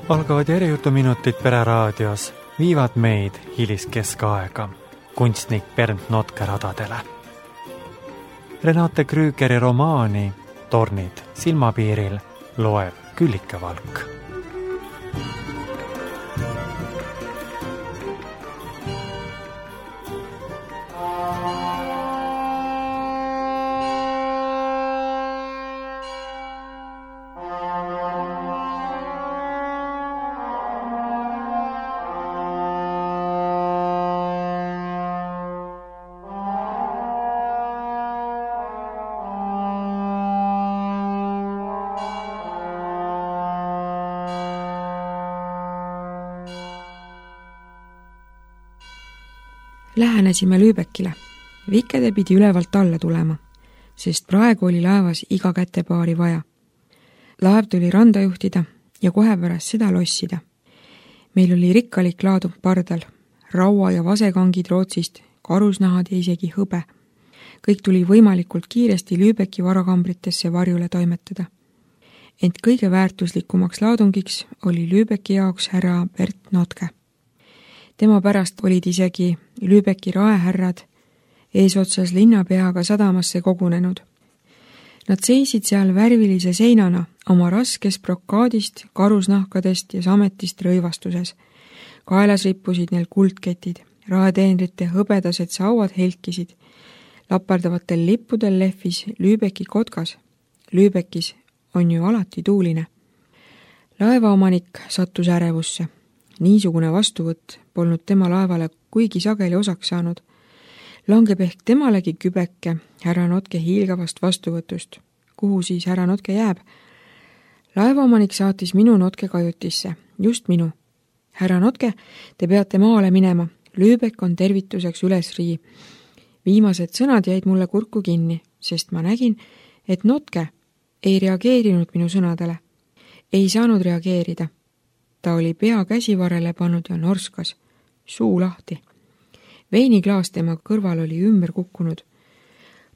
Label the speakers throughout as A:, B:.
A: Algavad järjejutuminutid Pereraadios viivad meid hiliskeskaega kunstnik Bernt Notke radadele. Renate Krügeri romaani Tornid silmapiiril loeb Küllike Valk.
B: Lähenesime Lübeckile. Vikede pidi ülevalt alla tulema, sest praegu oli laevas iga kätepaari vaja. Laev tuli randa juhtida ja kohe pärast seda lossida. Meil oli rikkalik laadung pardal, raua ja vasekangid Rootsist, karusnahad ja isegi hõbe. Kõik tuli võimalikult kiiresti Lübecki varakambritesse varjule toimetada. Ent kõige väärtuslikumaks laadungiks oli Lübecki jaoks härra Bernt Notke. Tema pärast olid isegi Lübecki raehärrad eesotsas linnapeaga sadamasse kogunenud. Nad seisid seal värvilise seinana oma raskest brokaadist, karusnahkadest ja sametist rõivastuses. Kaelas rippusid neil kuldketid, raeteenrite hõbedased sauad helkisid. Lapardavatel lippudel lehvis Lübecki kotkas. Lübeckis on ju alati tuuline. Laevaomanik sattus ärevusse. Niisugune vastuvõtt polnud tema laevale kuigi sageli osaks saanud. Langeb ehk temalegi kübeke härra Notke hiilgavast vastuvõtust. Kuhu siis härra Notke jääb? Laevaomanik saatis minu Notke kajutisse. Just minu. Härra Notke, te peate maale minema. Lübeck on tervituseks ülesrii. Viimased sõnad jäid mulle kurku kinni, sest ma nägin, et Notke ei reageerinud minu sõnadele. Ei saanud reageerida. Ta oli pea käsivarele pannud ja norskas, suu lahti. Veiniklaas tema kõrval oli ümber kukkunud.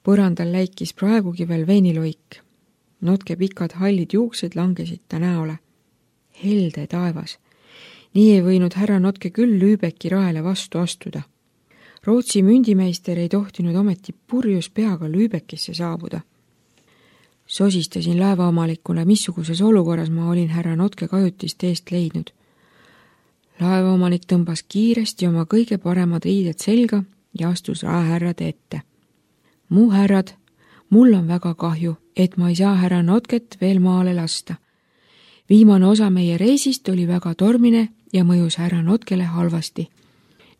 B: Põrandal läikis praegugi veel veiniloik. Notke pikad hallid juuksed langesid ta näole. Helde taevas. Nii ei võinud härra Notke küll Lübecki raele vastu astuda. Rootsi mündimeister ei tohtinud ometi purjus peaga Lübeckisse saabuda. Sosistasin laevaomalikule, missuguses olukorras ma olin härra Notke kajutist eest leidnud. Laevaomanik tõmbas kiiresti oma kõige paremad riided selga ja astus raehärrade ette. Mu härrad, mul on väga kahju, et ma ei saa härra Notket veel maale lasta. Viimane osa meie reisist oli väga tormine ja mõjus härra Notkele halvasti.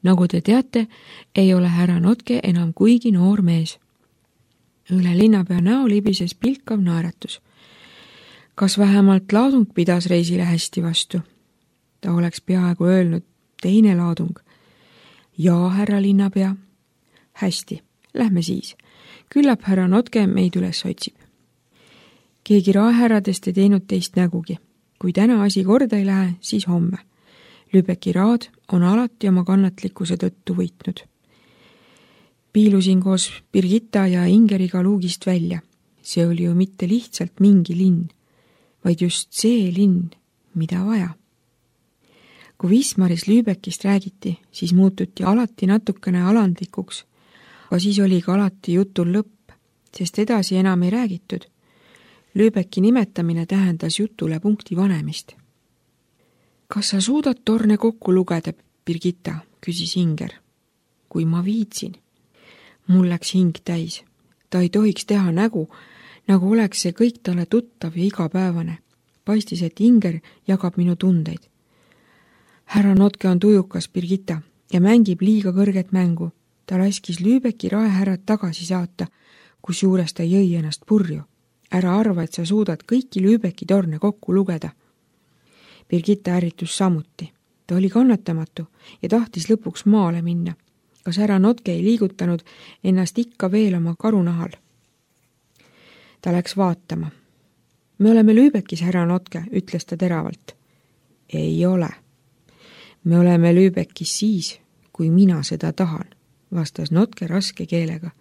B: Nagu te teate, ei ole härra Notke enam kuigi noor mees. Üle linnapea näo libises pilkav naeratus. Kas vähemalt laadung pidas reisile hästi vastu? Ta oleks peaaegu öelnud teine laadung. Jaa, härra linnapea. Hästi, lähme siis. Küllap härra Notke meid üles otsib. Keegi raehärradest ei teinud teist nägugi. Kui täna asi korda ei lähe, siis homme. Lübecki raad on alati oma kannatlikkuse tõttu võitnud. Piilusin koos Birgitta ja Ingeriga luugist välja. See oli ju mitte lihtsalt mingi linn, vaid just see linn, mida vaja. Kui Wismaris Lübeckist räägiti, siis muututi alati natukene alandlikuks, aga siis oli ka alati jutul lõpp, sest edasi enam ei räägitud. Lübecki nimetamine tähendas jutule punkti vanemist. Kas sa suudad torne kokku lugeda, Birgitta, küsis Inger. Kui ma viitsin. Mul läks hing täis. Ta ei tohiks teha nägu, nagu oleks see kõik talle tuttav ja igapäevane. Paistis, et Inger jagab minu tundeid. Härra Notke on tujukas, Birgitta, ja mängib liiga kõrget mängu. Ta laskis Lübecki raehärrad tagasi saata, kus juures ta jõi ennast purju. Ära arva, et sa suudad kõiki Lübecki torne kokku lugeda. Birgitta ärritus samuti. Ta oli kannatamatu ja tahtis lõpuks maale minna. Kas härra Notke ei liigutanud ennast ikka veel oma karunahal? Ta läks vaatama. Me oleme Lübeckis, härra Notke, ütles ta teravalt. Ei ole. Me oleme Lübeckis siis, kui mina seda tahan, vastas Notke raske keelega.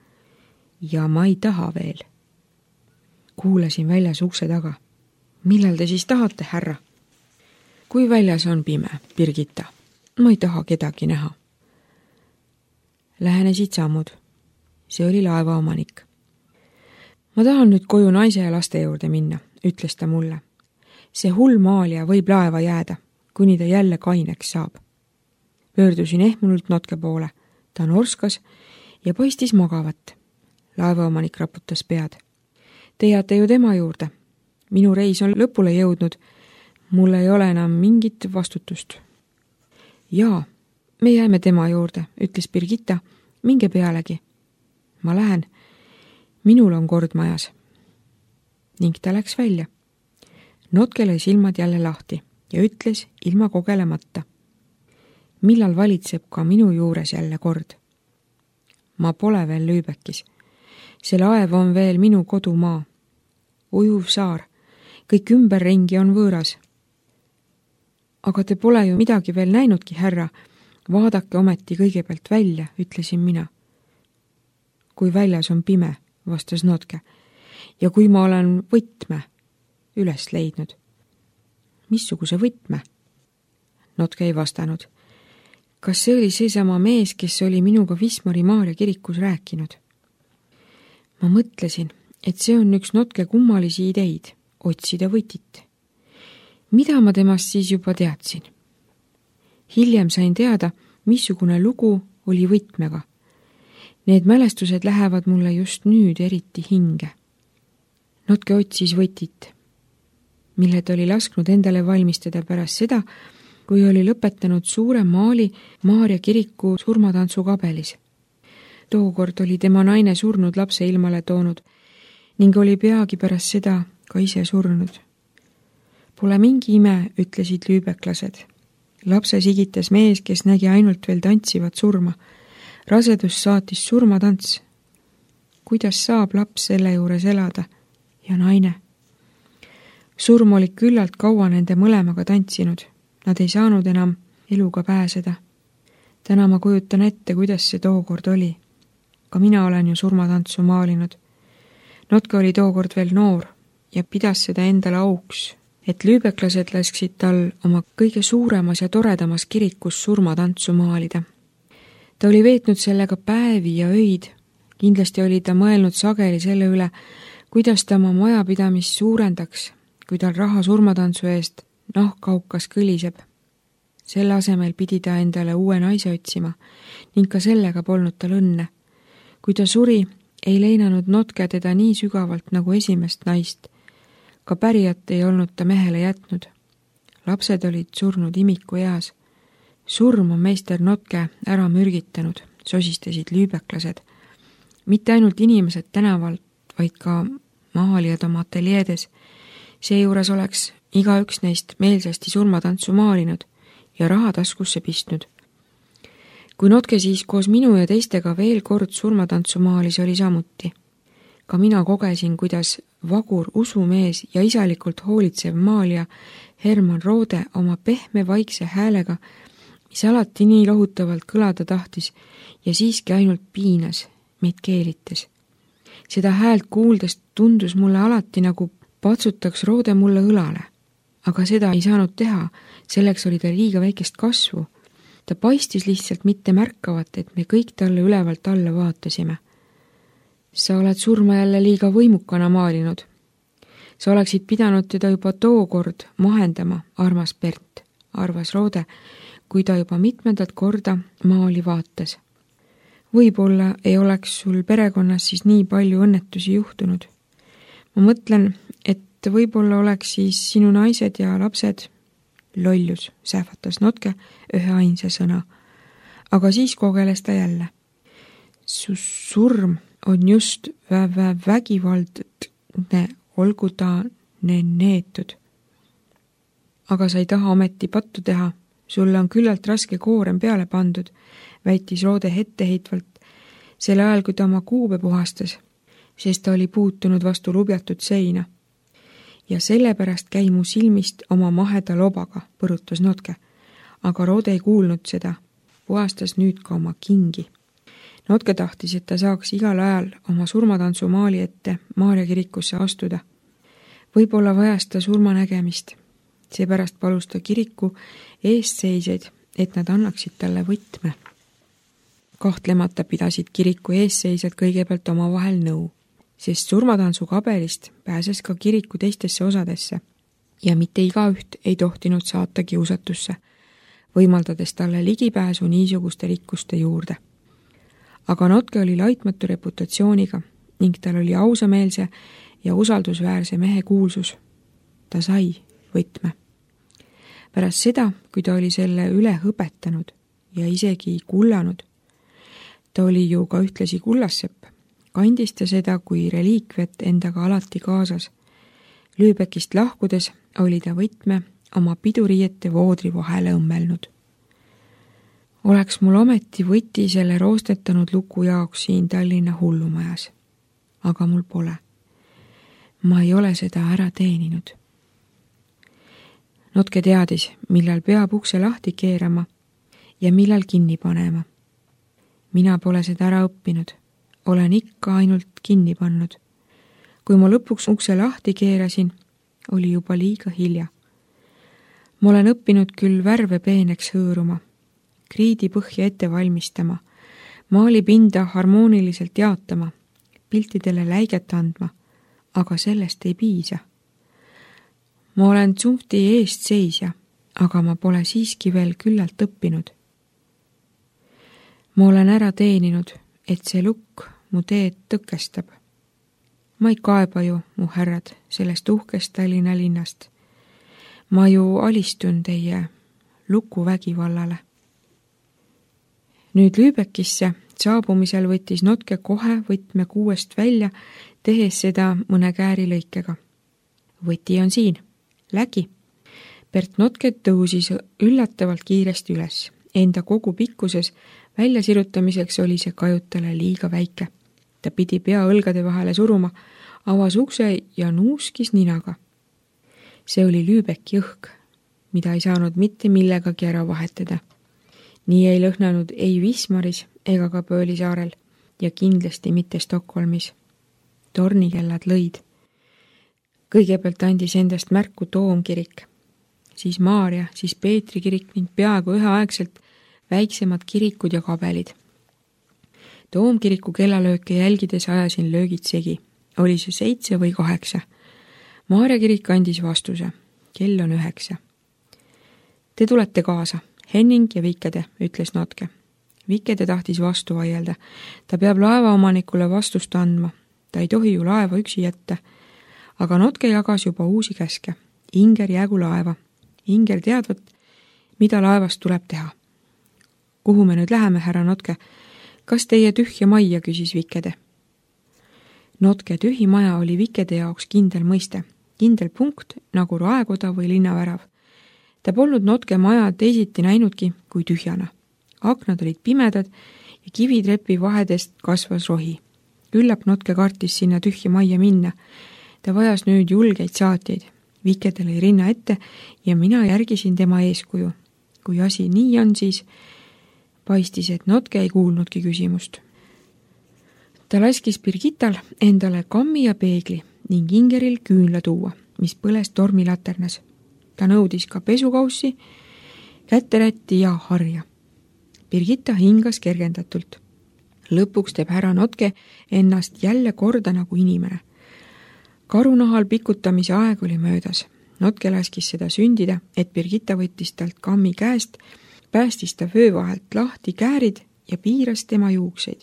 B: Ja ma ei taha veel. Kuulasin väljas ukse taga. Millal te siis tahate, härra? kui väljas on pime, Birgitta, ma ei taha kedagi näha. Lähenesid sammud. See oli laevaomanik. Ma tahan nüüd koju naise ja laste juurde minna, ütles ta mulle. See hull maalija võib laeva jääda, kuni ta jälle kaineks saab. Pöördusin ehmunult Notke poole. Ta norskas ja paistis magavat. Laevaomanik raputas pead. Te jääte ju tema juurde. Minu reis on lõpule jõudnud. Mul ei ole enam mingit vastutust. Jaa, me jääme tema juurde, ütles Birgitta. Minge pealegi. Ma lähen. Minul on kord majas. Ning ta läks välja. Notke lõi silmad jälle lahti ja ütles ilma kogelemata. Millal valitseb ka minu juures jälle kord? Ma pole veel Lübeckis. See laev on veel minu kodumaa. Ujuv saar. Kõik ümberringi on võõras. Aga te pole ju midagi veel näinudki, härra. Vaadake ometi kõigepealt välja, ütlesin mina. Kui väljas on pime, vastas Notke. Ja kui ma olen võtme üles leidnud. Missuguse võtme? Notke ei vastanud. Kas see oli seesama mees, kes oli minuga Wismari Maarja kirikus rääkinud? Ma mõtlesin, et see on üks Notke kummalisi ideid, otsida võtit. Mida ma temast siis juba teadsin? Hiljem sain teada, missugune lugu oli võtmega. Need mälestused lähevad mulle just nüüd eriti hinge. Notke otsis võtit, mille ta oli lasknud endale valmistada pärast seda, kui oli lõpetanud suure maali Maarja kiriku surmatantsu kabelis. Tookord oli tema naine surnud lapse ilmale toonud ning oli peagi pärast seda ka ise surnud. Pole mingi ime, ütlesid lüübeklased. Lapse sigitas mees, kes nägi ainult veel tantsivat surma. Rasedus saatis surmatants. Kuidas saab laps selle juures elada? Ja naine. Surm oli küllalt kaua nende mõlemaga tantsinud. Nad ei saanud enam eluga pääseda. Täna ma kujutan ette, kuidas see tookord oli. Ka mina olen ju surmatantsu maalinud. Notke oli tookord veel noor ja pidas seda endale auks, et lüübeklased lasksid tal oma kõige suuremas ja toredamas kirikus surmatantsu maalida. Ta oli veetnud sellega päevi ja öid. Kindlasti oli ta mõelnud sageli selle üle, kuidas ta oma majapidamist suurendaks, kui tal raha surmatantsu eest nahkkaukas kõliseb. Selle asemel pidi ta endale uue naise otsima ning ka sellega polnud tal õnne. Kui ta suri, ei leinanud Notke teda nii sügavalt nagu esimest naist. Ka pärijat ei olnud ta mehele jätnud. Lapsed olid surnud imiku eas. Surm on meister Notke ära mürgitanud, sosistasid lüübeklased. Mitte ainult inimesed tänavalt, vaid ka maalijad oma ateljeedes. Seejuures oleks igaüks neist meelsasti surmatantsu maalinud ja raha taskusse pistnud. Kui Notke siis koos minu ja teistega veel kord surmatantsu maalis, oli samuti. Ka mina kogesin, kuidas vagur usumees ja isalikult hoolitsev maalija Herman Roode oma pehme vaikse häälega, mis alati nii lohutavalt kõlada tahtis ja siiski ainult piinas, meid keelites. Seda häält kuuldes tundus mulle alati nagu patsutaks Roode mulle õlale. Aga seda ei saanud teha, selleks oli ta liiga väikest kasvu. Ta paistis lihtsalt mitte märkavat, et me kõik talle ülevalt alla vaatasime. Sa oled surma jälle liiga võimukana maalinud. Sa oleksid pidanud teda juba tookord mahendama, armas Bert, arvas Roode, kui ta juba mitmendat korda maali vaatas. Võib-olla ei oleks sul perekonnas siis nii palju õnnetusi juhtunud. Ma mõtlen, et võib-olla oleks siis sinu naised ja lapsed lollus, sähvatas Notke ühe ainsa sõna. Aga siis kogeles ta jälle. Su surm on just vägivaldne, olgu ta neetud. Aga sa ei taha ometi pattu teha. Sulle on küllalt raske koorem peale pandud, väitis Roode etteheitvalt, selle ajal, kui ta oma kuube puhastas, sest ta oli puutunud vastu lubjatud seina. Ja sellepärast käi mu silmist oma maheda lobaga, põrutas Notke. Aga Roode ei kuulnud seda, puhastas nüüd ka oma kingi. Notke tahtis, et ta saaks igal ajal oma surmatantsu maali ette Maarja kirikusse astuda. Võib-olla vajas ta surmanägemist Seepärast palus ta kiriku eestseisjaid, et nad annaksid talle võtme. Kahtlemata pidasid kiriku eesseisjad kõigepealt omavahel nõu, sest surmatantsu kabelist pääses ka kiriku teistesse osadesse ja mitte igaüht ei tohtinud saata kiusatusse, võimaldades talle ligipääsu niisuguste rikkuste juurde. Aga Notke oli laitmatu reputatsiooniga ning tal oli ausameelse ja usaldusväärse mehe kuulsus. Ta sai võtme. Pärast seda, kui ta oli selle üle õpetanud ja isegi kullanud, ta oli ju ka ühtlasi kullassepp, kandis ta seda kui reliikviat endaga alati kaasas. Lübeckist lahkudes oli ta võtme oma piduriiete voodri vahele õmmelnud. Oleks mul ometi võti selle roostetanud luku jaoks siin Tallinna hullumajas. Aga mul pole. Ma ei ole seda ära teeninud. Notke teadis, millal peab ukse lahti keerama ja millal kinni panema. Mina pole seda ära õppinud. Olen ikka ainult kinni pannud. Kui ma lõpuks ukse lahti keerasin, oli juba liiga hilja. Ma olen õppinud küll värve peeneks hõõruma, kriidi põhja ette valmistama, maalipinda harmooniliselt jaotama, piltidele läiget andma, aga sellest ei piisa. Ma olen tsunfti eest seisja, aga ma pole siiski veel küllalt õppinud. Ma olen ära teeninud, et see lukk mu teed tõkestab. Ma ei kaeba ju, mu härrad, sellest uhkest Tallinna linnast. Ma ju alistun teie lukuvägivallale. Nüüd Lübeckisse saabumisel võttis Notke kohe võtme kuuest välja, tehes seda mõne käärilõikega. Võti on siin. Lägi. Bert Notke tõusis üllatavalt kiiresti üles. Enda kogu pikkuses väljasirutamiseks oli see kajutale liiga väike. Ta pidi pea õlgade vahele suruma, avas ukse ja nuuskis ninaga. See oli Lübecki õhk, mida ei saanud mitte millegagi ära vahetada. Nii ei lõhnanud ei Wismaris ega ka Pöölisaarel ja kindlasti mitte Stockholmis. Tornikellad lõid. Kõigepealt andis endast märku Toomkirik, siis Maarja, siis Peetri kirik ning peaaegu üheaegselt väiksemad kirikud ja kabelid. Toomkiriku kellalööke jälgides ajasin löögid segi. Oli see 7 või 8. Maarja kirik andis vastuse. Kell on 9. Te tulete kaasa. Henning ja Vikede, ütles Notke. Vikede tahtis vastu vaielda. Ta peab laevaomanikule vastust andma. Ta ei tohi ju laeva üksi jätta. Aga Notke jagas juba uusi käske. Inger jäägu laeva. Inger teadvat, mida laevast tuleb teha. Kuhu me nüüd läheme, härra Notke? Kas teie tühja majja, küsis Vikede. Notke tühi maja oli Vikede jaoks kindel mõiste. Kindel punkt nagu raekoda või linnavärav. Ta polnud Notke maja teisiti näinudki kui tühjana. Aknad olid pimedad ja kivitrepi vahedest kasvas rohi. Küllap Notke kartis sinna tühja majja minna. Ta vajas nüüd julgeid saatjaid. Vikede lõi rinna ette ja mina järgisin tema eeskuju. Kui asi nii on, siis paistis, et Notke ei kuulnudki küsimust. Ta laskis Birgittal endale kammi ja peegli ning Ingeril küünla tuua, mis põles tormilaternas. Ta nõudis ka pesukaussi, käterätti ja harja. Birgitta hingas kergendatult. Lõpuks teeb härra Notke ennast jälle korda nagu inimene. Karunahal pikutamise aeg oli möödas. Notke laskis seda sündida, et Birgitta võttis talt kammi käest, päästis ta vöö vahelt lahti käärid ja piiras tema juukseid.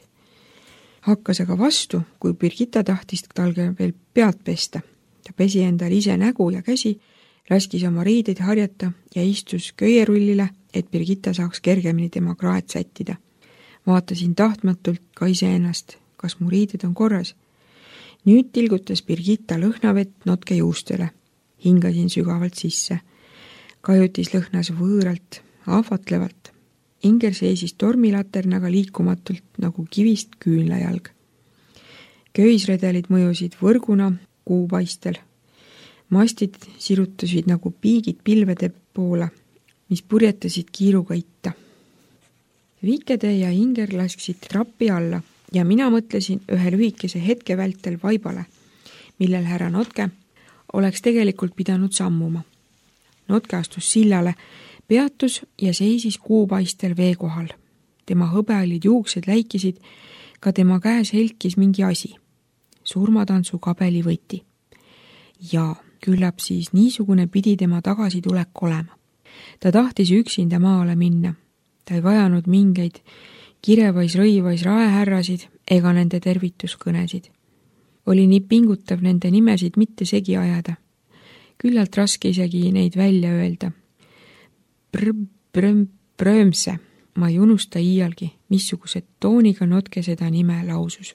B: Hakkas aga vastu, kui Birgitta tahtis talge veel pealt pesta. Ta pesi endal ise nägu ja käsi, laskis oma riideid harjata ja istus köierullile, et Birgitta saaks kergemini tema kraed sättida. Vaatasin tahtmatult ka iseennast, kas mu riided on korras. Nüüd tilgutas Birgitta lõhnavett Notke juustele. Hingasin sügavalt sisse. Kajutis lõhnas võõralt, ahvatlevalt. Inger seisis tormilaternaga liikumatult nagu kivist küünlajalg. Köisredelid mõjusid võrguna kuupaistel. Mastid sirutasid nagu piigid pilvede poole, mis purjetasid kiiruga itta. Vikede ja Inger lasksid trappi alla ja mina mõtlesin ühe lühikese hetke vältel vaibale, millel härra Notke oleks tegelikult pidanud sammuma. Notke astus sillale, peatus ja seisis kuupaistel vee kohal. Tema hõbeolid juuksed läikisid, ka tema käes helkis mingi asi. Surmatantsu kabeli võti. Ja küllap siis niisugune pidi tema tagasitulek olema. Ta tahtis üksinda maale minna. Ta ei vajanud mingeid kirevais rõivais raehärrasid ega nende tervituskõnesid. Oli nii pingutav nende nimesid mitte segi ajada. Küllalt raske isegi neid välja öelda. Brömse. Ma ei unusta iialgi, missuguse tooniga Notke seda nime lausus.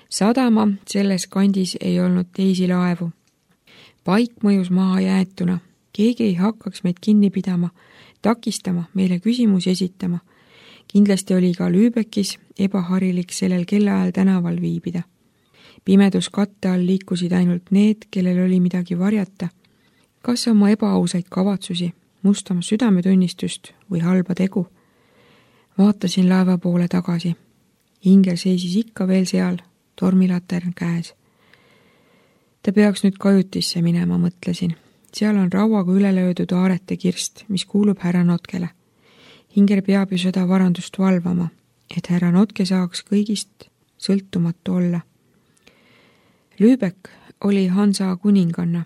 B: Sadama selles kandis ei olnud teisi laevu. Paik mõjus maha jäetuna. Keegi ei hakkaks meid kinni pidama, takistama, meile küsimusi esitama. Kindlasti oli ka Lübeckis ebaharilik sellel kellaajal tänaval viibida. Pimedus katte all liikusid ainult need, kellel oli midagi varjata. Kas oma ebaausaid kavatsusi, mustama südametunnistust või halba tegu? Vaatasin laeva poole tagasi. Ingel seisis ikka veel seal, tormilatern käes. Ta peaks nüüd kajutisse minema, mõtlesin. Seal on rauaga üle löödud aarete kirst, mis kuulub härra Notkele. Ingel peab ju seda varandust valvama, et härra Notke saaks kõigist sõltumatu olla. Lübeck oli Hansa kuninganna,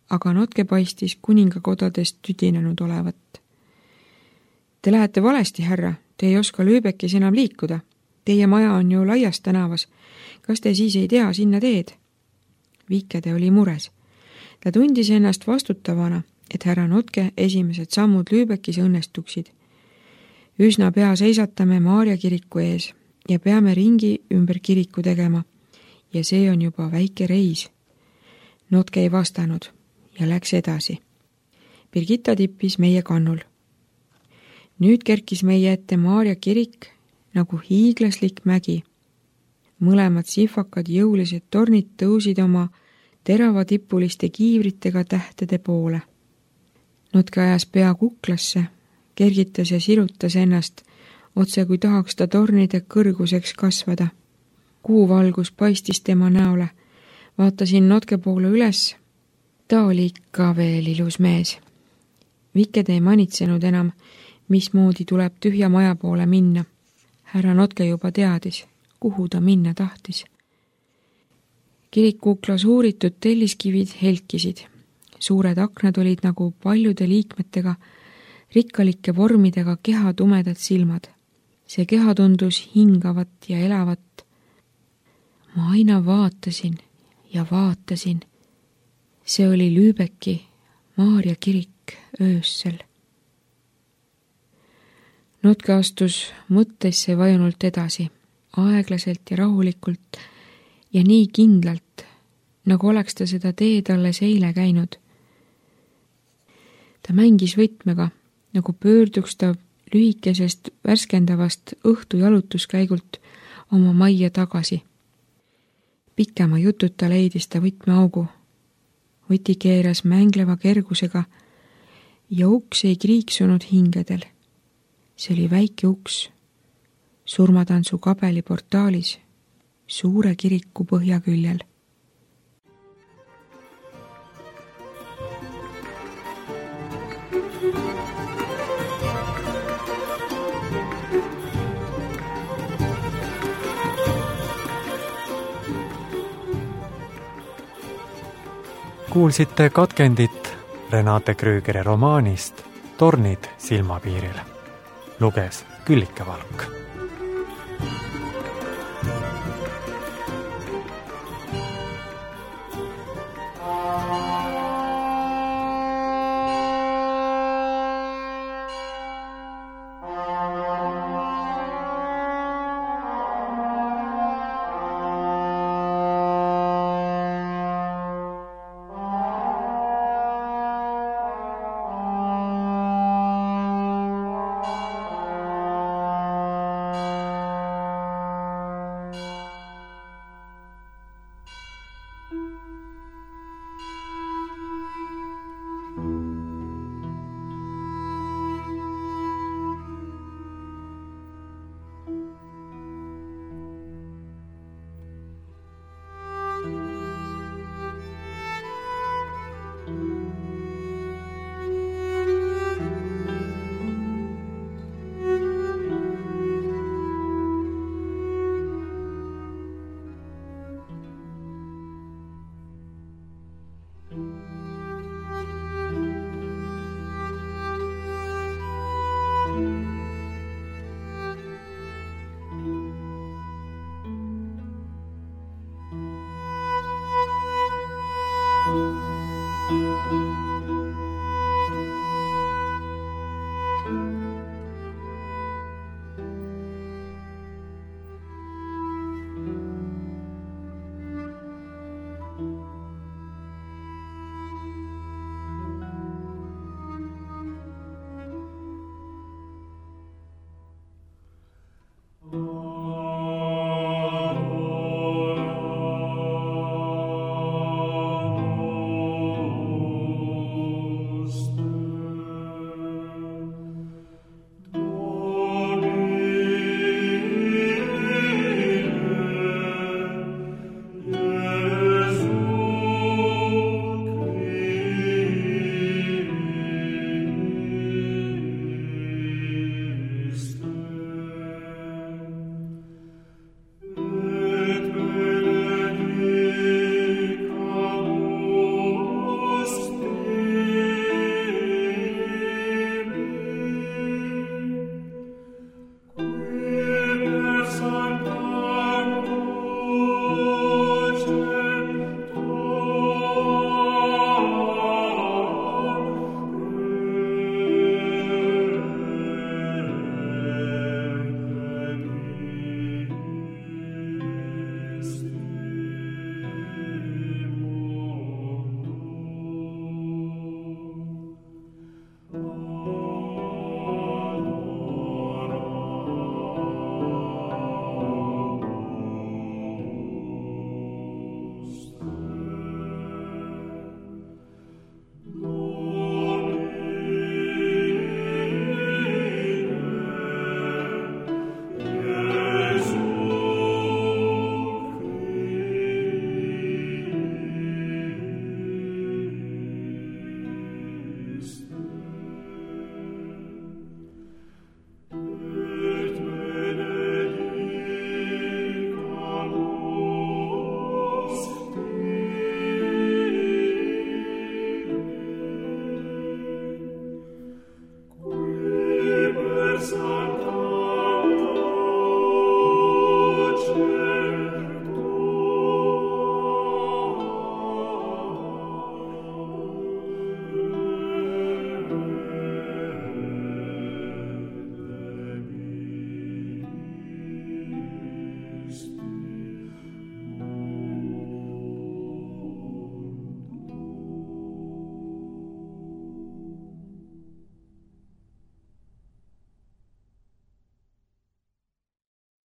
B: aga Notke paistis kuningakodadest tüdinenud olevat. Te lähete valesti, härra, te ei oska Lübeckis enam liikuda. Teie maja on ju laias tänavas. Kas te siis ei tea sinna teed? Viikede oli mures. Ta tundis ennast vastutavana, et härra Notke esimesed sammud Lübeckis õnnestuksid. Üsna pea seisatame Maarja kiriku ees ja peame ringi ümber kiriku tegema. Ja see on juba väike reis. Notke ei vastanud ja läks edasi. Birgitta tippis meie kannul. Nüüd kerkis meie ette Maarja kirik nagu hiiglaslik mägi. Mõlemad sihvakad jõulised tornid tõusid oma teravatippuliste kiivritega tähtede poole. Notke ajas pea kuklasse, kergitas ja sirutas ennast, otse kui tahaks ta tornide kõrguseks kasvada. Kuuvalgus paistis tema näole. Vaatasin Notke poole üles. Ta oli ikka veel ilus mees. Viked ei manitsenud enam, mismoodi tuleb tühja maja poole minna. Härra Notke juba teadis, kuhu ta minna tahtis. Kirikuklas uuritud telliskivid helkisid. Suured aknad olid nagu paljude liikmetega, rikkalike vormidega keha tumedad silmad. See keha tundus hingavat ja elavat. Ma aina vaatasin ja vaatasin. See oli Lübecki Maarja kirik öössel. Notke astus mõttesse vajunult edasi, aeglaselt ja rahulikult ja nii kindlalt, nagu oleks ta seda teed alles eile käinud. Ta mängis võtmega, nagu pöörduks ta lühikesest värskendavast õhtu jalutuskäigult oma majja tagasi. Pikema jututa leidis ta võtmeaugu. Võti keeras mängleva kergusega ja uks ei kriiksunud hingedel. See oli väike uks, surmatantsu kabeli portaalis, suure kiriku põhjaküljel.
A: Kuulsite katkendit Renate Krügeri romaanist Tornid silmapiiril. Luges Küllike Valk.